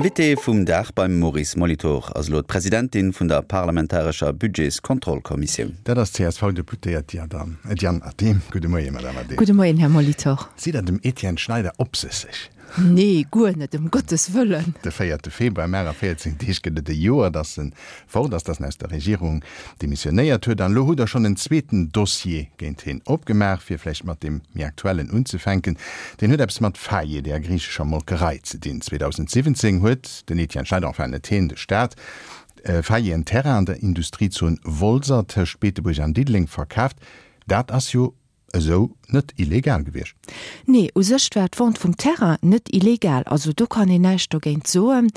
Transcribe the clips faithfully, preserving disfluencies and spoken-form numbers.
Invité vum Dag beim Maurice Molitor ass elo d'Presidentin vun der parlamentarescher Budgetskontrollkommissioun. Dat ass d'CSV-Deputéiert Diane Adehm. Gudde Moien, Madame Adehm. Gudde Moien, Här Molitor. Sidd Der dem Etienne Schneider opsësseg? Nee, guer net, ëm Gottes Wëllen! De véierte Februar, mar a véierzéng Deeg, gëtt et e Joer, datt en fort ass, datt en aus der Regierung demissionéiert huet. An elo hutt Der schonn en zweeten Dossier géint hien opgemaach, fir vläicht mat deem méi aktuellen unzefänken. Deen huet eppes mat Faye, där griichescher Molkerei, ze dinn. zweedausendsiwwenzéng huet den Etienne Schneider, enfin net hien, de Staat, Faye en Terrain an der Industriezon Wolser tëscht Beetebuerg an Diddeleng verkaaft. Dat ass jo esou net illegal gewiescht. Nee, u sech war d'Vente vum Terrain net illegal, also do kann een näischt dogéint soen.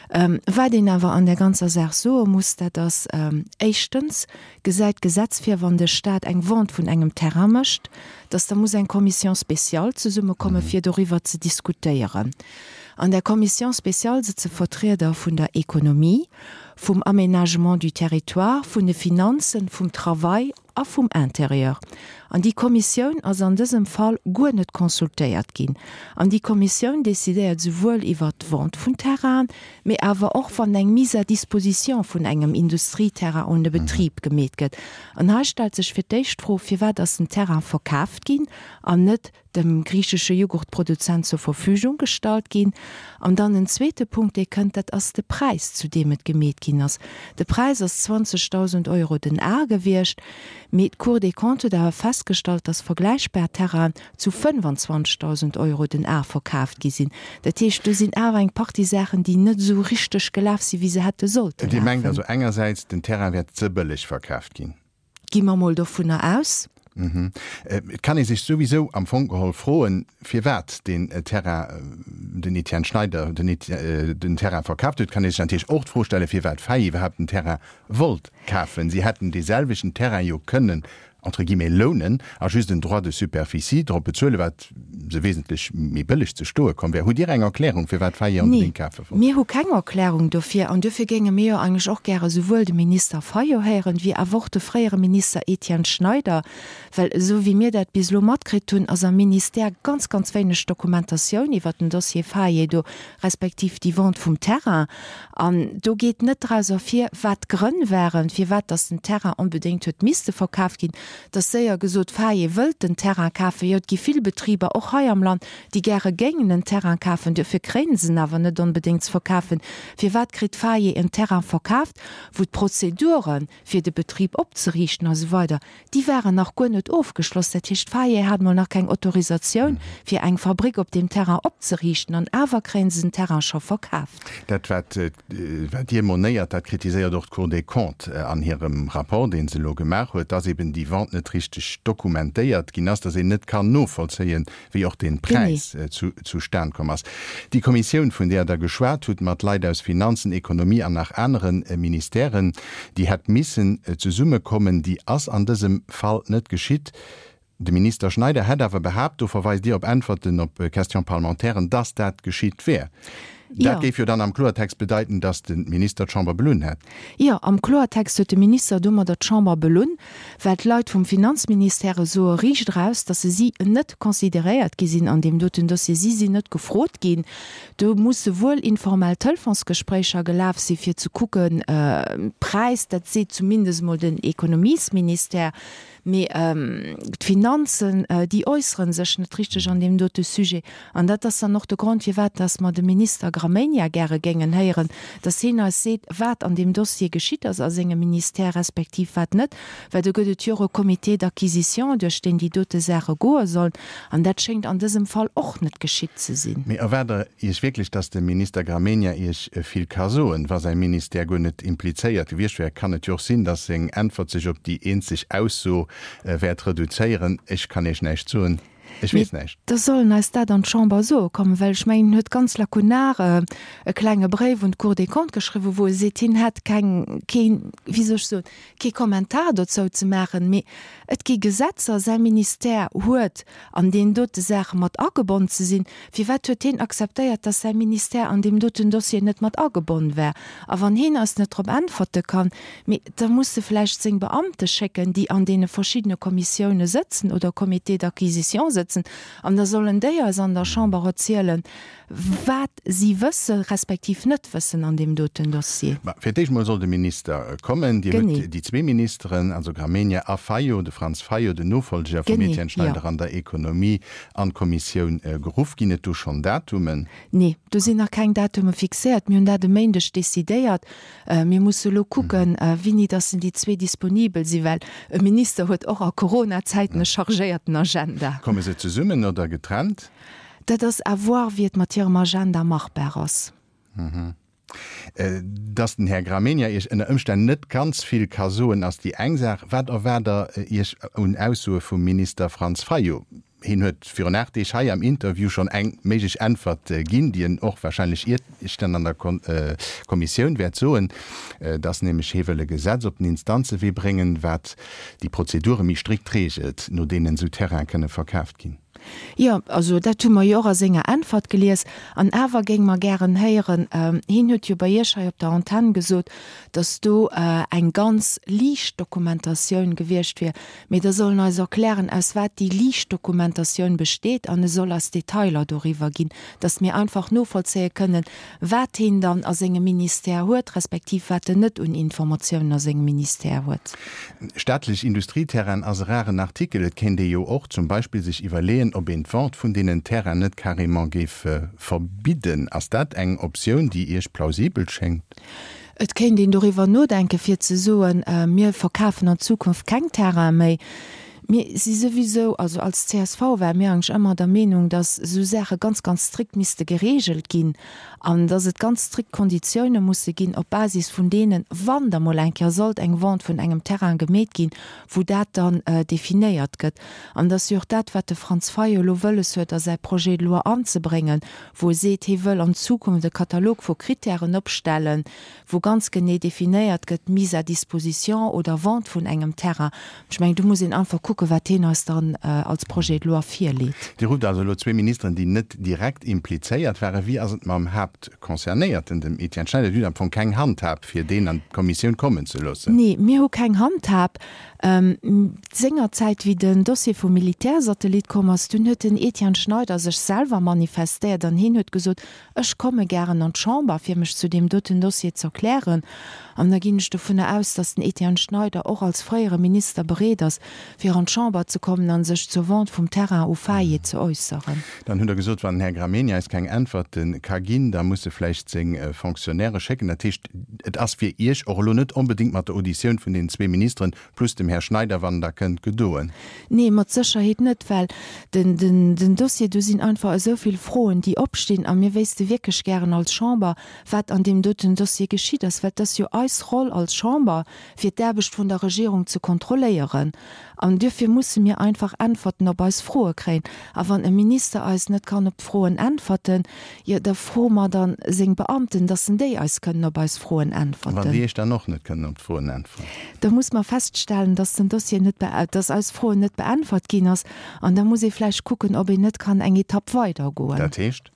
Wat een awer an där ganzer Saach soe muss, dat ass, éischtens gesäit d'Gesetz vir, wann de Stat eng Vente vun engem Terrain mécht, dass da muss eng Commission spéciale zesummekomme fir doriwwer ze diskutéieren. An där Commission spéciale sëtze Vertrieder vun der Ekonomie, vum Aménagement du territoire, vun de Finanzen, vum Travail a vum Intérieur. An déi Kommissioun ass an dësem Fall guer net consultéiert ginn. An déi Kommissioun decidéiert souwuel iwwert d'Vente vun Terrainen, mee awer och wann eng Mise à disposition vun engem Industrieterrain un e Betrib gemeet gëtt. An hei stellt sech fir d'éischt d'Fro, Firwat ass den Terrain verkaaft ginn an net dem griichesche Jughurtproduzent zur Verfügung gestallt ginn? An dann en zweete Punkt, dee kënnt, dat ass de Präis, zu deem et gemeet ginn ass. De Präis ass zwanzegdausend Euro den Ar gewiescht, mee d'Cour des Comptes huet awer festgestallt, dass vergläichbar Terrainen zu fënfandzwanzegdausend Euro den Ar verkaaft gi sinn. Dat heescht, do sinn awer eng Partie Saachen, déi net esou richteg gelaf sinn, wéi se hätte sollte Dir mengt lafen. also engersäits, den Terrain wär ze bëlleg verkaaft ginn? Gi mer mol dovunner aus. Et kann ee sech souwisou am Fong geholl froen, firwat deen Terrain den Etienne Schneider den Terrain verkaaft huet. Et kann ee sech natierlech och d'Fro stellen, firwat Fay iwwerhaapt den Terrain wollt kafen. Si hätten dee selwechten Terrain jo kënnen, entre guillemets, lounen a just en Droit de superficie drop bezuelen, wat se wesentlech méi bëlleg ze stoe komm wär. Hutt Dir eng Erklärung, firwat Fayet Nee, onbedéngt kafe wollt? mir hu keng Erklärung dofir. An duerfir géinge mir jo eigentlech och gäre souwuel de Minister Fayot héieren, wéi awer och de fréiere Minister Etienne Schneider, well esou wéi mir dat bis elo matkritt hunn, ass am Ministère ganz, ganz wéineg Dokumentatioun iwwert den Dossier Fayot do, respektiv déi Vente vum Terrain. An do geet net draus ervir, wat d'Grënn waren, firwat dass den Terrain onbedéngt huet misste verkaaft ginn. Et ass séier gesot, Faye wëllt den Terrain kafen. Jo, et gi vill Betriber, och hei am Land, déi gäre géingen en Terrain kafen. Duerfir kréien se en awer net onbedéngt ze verkafen. Firwat kritt Faye en Terrain verkaaft, wou d'Prozeduren, fir de Betrib opzeriichten a sou weider, déi waren nach guer net ofgeschloss. Dat heescht, Faye hat mol nach keng Autorisatioun, fir eng Fabrik op deem Terrain opzeriichten, an awer kréien se den Terrain scho verkaaft. Dat, wat wat Dir monéiert, dat kritiséiert och d'Cour des Comptes an hirem Rapport, dee se elo gemaach huet, dass eben déi Vente net richteg dokumentéiert ginn ass, dass een net kann novollzéien, wéi och dee Präis zustan komm ass. Déi Kommissioun, vun där Der geschwat hutt, mat Leit aus Finanzen, Ekonomie an nach anere Ministèren, déi hätt missen zesummekommen, déi ass an dësem Fall net geschitt. De Minister Schneider hätt awer behaapt, do verweist Dir op Äntwerten op Question-parlementairen, dass dat geschitt wär. Dat géif jo dann am Kloertext bedeiten, dass de Minister d'Chamber belunn hätt. Jo, am Kloertext huet de Minister domadder d'Chamber belunn, well d'Leit vum Finanzministère soe riicht eraus, dass se si net consideréiert gi sinn an deem doten Dossier. Si sinn net gefrot ginn. Do musse wuel informell Telefonsgespréicher gelaf si fir ze kucken, Präis, dat seet zumindest emol den Ekonomiesministère. Mee d'Finanzen, déi äussere sech net richteg an deem dote Sujet. An dat ass dann och de Grond, firwat dass mer de Minister Gramegna gäre géingen héieren, dass hien eis seet, wat an deem Dossier geschitt ass a sengem Ministère respektiv wat net. Well do gëtt et jo och e Comité d'acquisition, duerch deen déi dote Saache goe sollen. An dat schéngt an dësem Fall och net geschitt ze sinn. Mee erwaart Der Iech wierklech, dass de Minister Gramegna Iech vill ka soen? Wa säi Ministère guer net implizéiert gewiescht wär, kann et jo och sinn, dass seng Äntwert sech op déi eenzeg Ausso wäert reduzéieren, Ech kann Iech näischt soen, ech Mee weess näischt. da soll en eis dat an d'Chamber soe kommen, well ech mengen, en huet ganz lakunar e klenge Bréif un d'Cour des Comptes geschriwwen, wou e seet, hien hätt keng, keen, wéi soll ech soen, kee Kommentar dozou ze maachen. Mee et gi Gesetzer, säi Ministère huet an deenen dote Saache mat agebonn ze sinn. Firwat huet hien akzeptéiert, dass säi Ministère an deem doten Dossier net mat agebonn war? A wann hien eis net drop äntwerte kann, mee da muss e vläicht seng Beamte schécken, déi an deene verschiddene Kommissioune sëtzen oder Comités d'acquisition sëtzen, sëtzen an da sollen déi eis an der Chamber erzielen, wat si wësse respektiv net wëssen an deem doten Dossier. Ma fir d'éischt mol soll de Minister kommen. Dir hutt déi zwee Ministeren, also Gramegna a Fayot, de Franz Fayot, den Nofolger vum Etienne Schneider an der Ekonomie, an d'Kommissioun geruff. Ginn et do schonn Datumen? Nee, do sinn nach keng Datume fixéiert. Mir hunn dat e Méindeg decidéiert. Mir musse elo kucken, wéini dass déi zwee disponibel sinn, well e Minister huet och a Coronazäiten e chargéierten Agenda. Komme se zesummen oder getrennt? Dat ass à voir, wéi et mat hirem Agenda machbar ass. Dass den Här Gramegna Iech ënner Ëmstänn net ganz vill ka soen, ass déi eng Saach. Wat erwaart Der Iech un Aussoe vum Minister Franz Fayot? Hien huet virun aacht Deeg hei am Interview schonn eng méiglech Äntwert ginn, déi en och warscheinlech Iech dann an der Kommissioun wäert soen, dass nämlech hie wëll e Gesetz op den Instanzewee bréngen, wat déi Prozedure méi strikt reegelt, no deenen esou Terraine kënne verkaaft ginn. Jo, also dat hu mer jo och a senger Äntwert gelies. An awer géinge mer gären héieren, hien huet jo bei Iech hei op der Antenn gesot, datt do eng ganz liicht Dokumentatioun gewiescht wier. Mee da soll en eis erklären, aus wat déi liicht Dokumentatioun besteet an e soll eis Detailer doriwwer ginn, datt mir einfach novollzéie kënnen, wat hien dann a sengem Ministère huet, respektiv wat en net un Informatiounen a sengem Ministère huet. Staatlech Industrieterrainen ass e raren Artikel. Et kéint ee jo och zum Beispill sech iwwerleeën, ob een d'Vente vun deenen Terrainen net carrément géif verbidden. Ass dat eng Optioun, déi Iech plausibel schéngt? Et kéint een doriwwer nodenken, fir ze soen, mir verkafen an Zukunft keng Terraine méi. Mir si souwisou, also als csv ware mir eigentlech ëmmer der Meenung, dass esou Saache ganz, ganz strikt misste geregelt ginn an dass et ganz strikt Konditioune musse ginn, op Basis vun deenen, wann da mol eng Kéier sollt eng Vente vun engem Terrain gemeet ginn, wou dat dann definéiert gëtt. An dass jo och dat, wat de Franz Fayot elo wëlles huet a säi Projet de loi anzebréngen, wou e seet, hie wëll an Zukunft e Katalog vu Kritären opstellen, wou ganz genee definéiert gëtt, Mise à disposition oder Vente vun engem Terrain. Ech mengen, do muss een einfach kucken, wat hien eis dann als Projet de loi virleet. Dir rufft also elo zwee Ministeren, déi net direkt implizéiert waren. Wéi ass et mam Haaptconcernéierten, dem Etienne Schneider? Dir hutt am Fong keng Handhab, fir deen an d'Kommissioun kommen ze loossen. Nee, mir hu keng Handhab. Sengerzäit, wéi den Dossier vum Militärsatellit komm ass, dunn huet den Etienne Schneider sech selwer manifestéiert an hien huet gesot, Ech komme gären an d'Chamber, fir mech zu deem doten Dossier z'erklären. An da ginn ech dovunner aus, datt den Etienne Schneider och als fréiere Minister bereet ass, fir an d'Chamber ze kommen a sech zur Vente vum Terrain u Faye ze äusseren. Dann hutt Der gesot, wann den Här Gramegna eis keng Äntwerte ka ginn, da muss e vläicht seng Fonctionnairë schécken. Dat heescht, et ass fir Iech och elo net onbedéngt mat der Auditioun vun deenen zwee Ministeren plus dem Här Schneider, wann en da kënnt, gedoen. Nee, mat Sécherheet net, well den Dossier, do sinn einfach esou vill Froen, déi opstinn a mir wéisste wierklech gären als Chamber, wat an deem doten Dossier geschitt ass, well et ass jo eis Roll als Chamber, fir d'Aarbecht vun der Regierung ze kontrolléieren. An duerfir musse mir einfach Äntwerten op eis Froe kréien. A wann e Minister eis net kann op d'Froen äntwerten, jo da froe mer dann seng Beamten, dass en déi eis kënnen op eis Froen äntwerten. Wann déi Iech dann och net kënnen op d'Froen äntweren? Da muss mer feststellen, dass den Dossier net, dass eis Froen net beäntwert ginn ass. An da muss ee vläicht kucken, ob een net kann eng Etapp weidergoen. Dat heescht?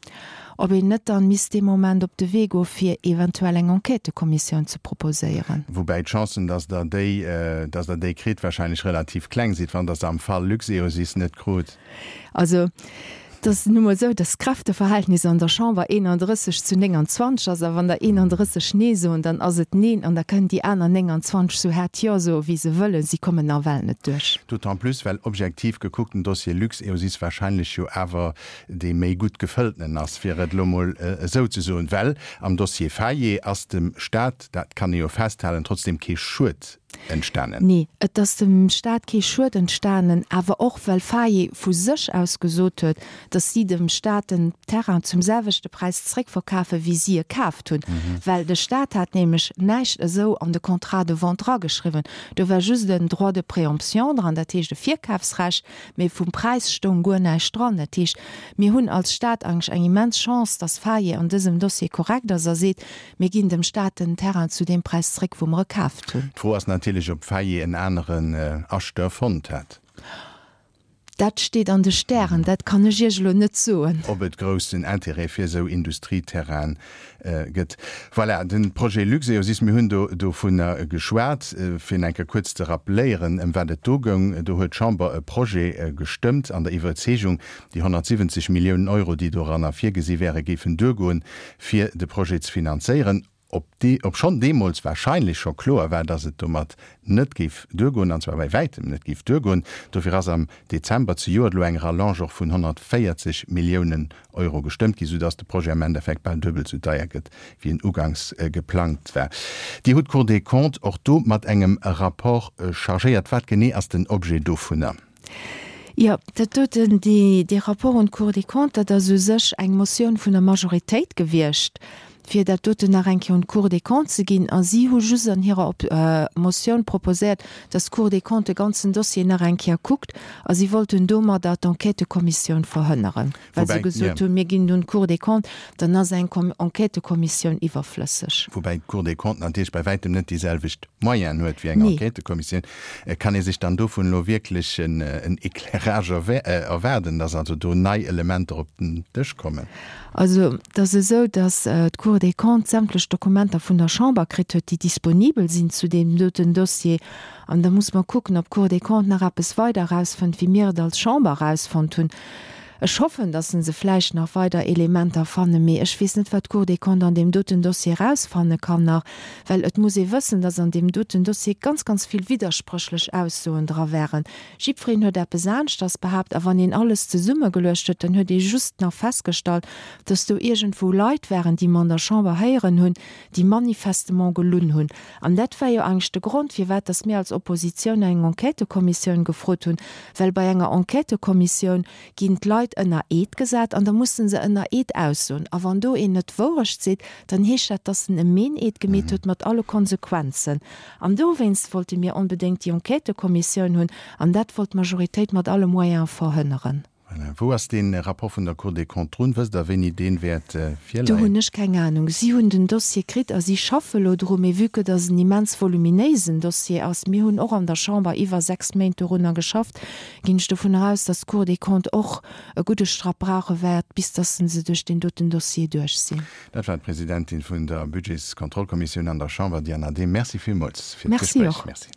Ob een net dann misst dee Moment op de Wee goe fir eventuell eng Enquêtëkommissioun ze proposéieren. Woubäi d'Chancen, dass Der déi, dass Der déi kritt, wahrscheinlech relativ kleng sinn, wann Der se am Fall Luxeosys net krut. Also, et ass nu mol esou, dass d'Kräfteverhältnis an der Chamber eenanddrësseg zu nénganzwanzeg ass. A wann der eenanddrësseg Nee soen, dann ass et Neen an da kënnen déi aner nénganzwanzeg sou haart Jo soe wéi se wëllen, si kommen nawell net duerch. D'autant plus, well objektiv gekuckt den Dossier Luxeosys wahrscheinlech jo awer dee méi gutt gefëlltenen ass, fir et elo mol esou ze soen, well am Dossier Faye ass dem Stat, dat kann ee jo festhalen, trotzdem kee Schued entstanen. Nee, et ass dem Stat kee Schued entstanen, awer och well Faye vu sech aus gesot huet, datt si dem Stat den Terrain zum selwechte Präis zréckverkafen, wéi si e kaaft hunn. Well de Stat hat nämlech näischt esou an de Contrat de vente drageschriwwen. Do war just en Droit de préemption dran, dat heescht e Virkafsrecht, mee vum Präis stoung guer näischt dran. Dat heescht, mir hunn als Stat eigentlech eng immens Chance, datt Faye an dësem Dossier korrekt ass a seet, Mir ginn dem Stat den Terrain zu deem Präis zréck, wou mer e kaaft hunn. D'Fro ass natierlech, ob Faye en aneren Acheteur fonnt hätt. Dat steet an de Stären, dat kann ech Iech elo net soen. Ob et groussen Intérêt fir esou Industrieterraine gëtt. Voilà, de Projet Luxeosys, mir hunn do dovunner geschwat. Fir en eng Kéier kuerz ze rappeléieren, ëm wat et do goung, Do huet d'Chamber e Projet gestëmmt an der Iwwerzeegung, déi honnertsiwwenzeg Milliounen Euro, déi doranner virgesi wären, géifen duergoen, fir de Projet ze finanzéieren. Ob dee, obschonn deemools wahrscheinlech scho kloer war, dass et domat net géif duergoen, an zwar bäi wäitem net géif duergoen. Dofir ass am Dezember zejoert elo eng Rallonge och vun honnertvéierzeg Milliounen Euro gestëmmt ginn, soudass de Projet am Endeffekt bal duebel sou deier gëtt, wéi en uganks geplangt war. Dir hutt d'Cour des Comptes och do mat engem Rapport chargéiert. Wat genee ass den Objet dovunner? Jo, dat doten, dee, dee Rapport un d'Cour des Comptes, dat ass u sech eng Motioun vun der Majoritéit gewiescht, fir dat doten nach eng Kéier un d'Cour des Comptes ze ginn. A si hu just an hirer Motioun proposéiert, dass d'Cour des Comptes de ganzen Dossier nach eng Kéier kuckt. A si wollten domadder d'Enquêtëkommissioun verhënneren, well se gesot hunn, mir ginn et un d'Cour des Comptes, dann ass eng Enquêtëkommissioun iwwerflësseg. Woubäi d'Cour des Comptes natierlech bei wäitem net déi selwecht Moyenen huet wéi eng Enquêtëkommissioun. Kann ee sech dann dovun elo wierklech en Éclairage erwaarden, dass also do nei Elementer op den Dësch kommen? Also et ass esou, dass d'Cour des Comptes sämtlech Dokumenter vun der Chamber kritt huet, déi disponibel sinn zu deem doten Dossier. An da muss mer kucken, ob d'Cour des Comptes nach eppes weider erausfënnt, wéi mir et als Chamber erausfonnt hunn. Ech hoffen, dass se vläicht nach weider Elementer fannen, mee ech weess net, wat d'Cour des Comptes an deem doten Dossier erausfanne kann nach, well et muss ee wëssen, dass an deem doten Dossier ganz, ganz vill widderspréchlech Aussoen dra waren. Jiddwereen huet eppes aneschters behaapt a wann een alles zesummegeluecht huet, dann huet ee just nach festgestallt, dass do iergendwou Leit waren, déi mer an der Chamber héieren hunn, déi manifestement gelunn hunn. An dat war jo eigentlech de Grond, firwat dass mir als Oppositioun eng Enquêtëkommissioun gefrot hunn, well bei enger Enquêtëkommissioun ginn d'Leit ënner Eed gesat an da musse se ënner Eed aussoen. A wann do een net d'Wourecht seet, dann heescht dat, dass en e Meeneed gemeet huet mat alle Konsequenzen. An dowéinst wollte mir onbedéngt déi Enquêtëkommissioun hunn an dat wollt d'Majoritéit mat alle Moyene verhënneren. Voilà. Wou ass dee Rapport vun der Cour des Comptes drun? Wësst Der, wéini dee wäert virleien? Do hunn ech keng Anung. Si hunn den Dossier kritt a si schaffe lo dru. Mee vue que dass en immens voluminéisen Dossier ass, mir hunn och an der Chamber iwwer sechs Méint dorunner geschafft, ginn ech dovunner aus, dass d'Cour des Comptes och e gudde Strapp brauche wäert, bis dass se duerch deen doten Dossier duerch sinn. Dat war d'Presidentin vun der Budgetskontrollkommissioun an der Chamber, Diane Adehm. Merci villmools fir Merci d'Gespréich. och. Merci.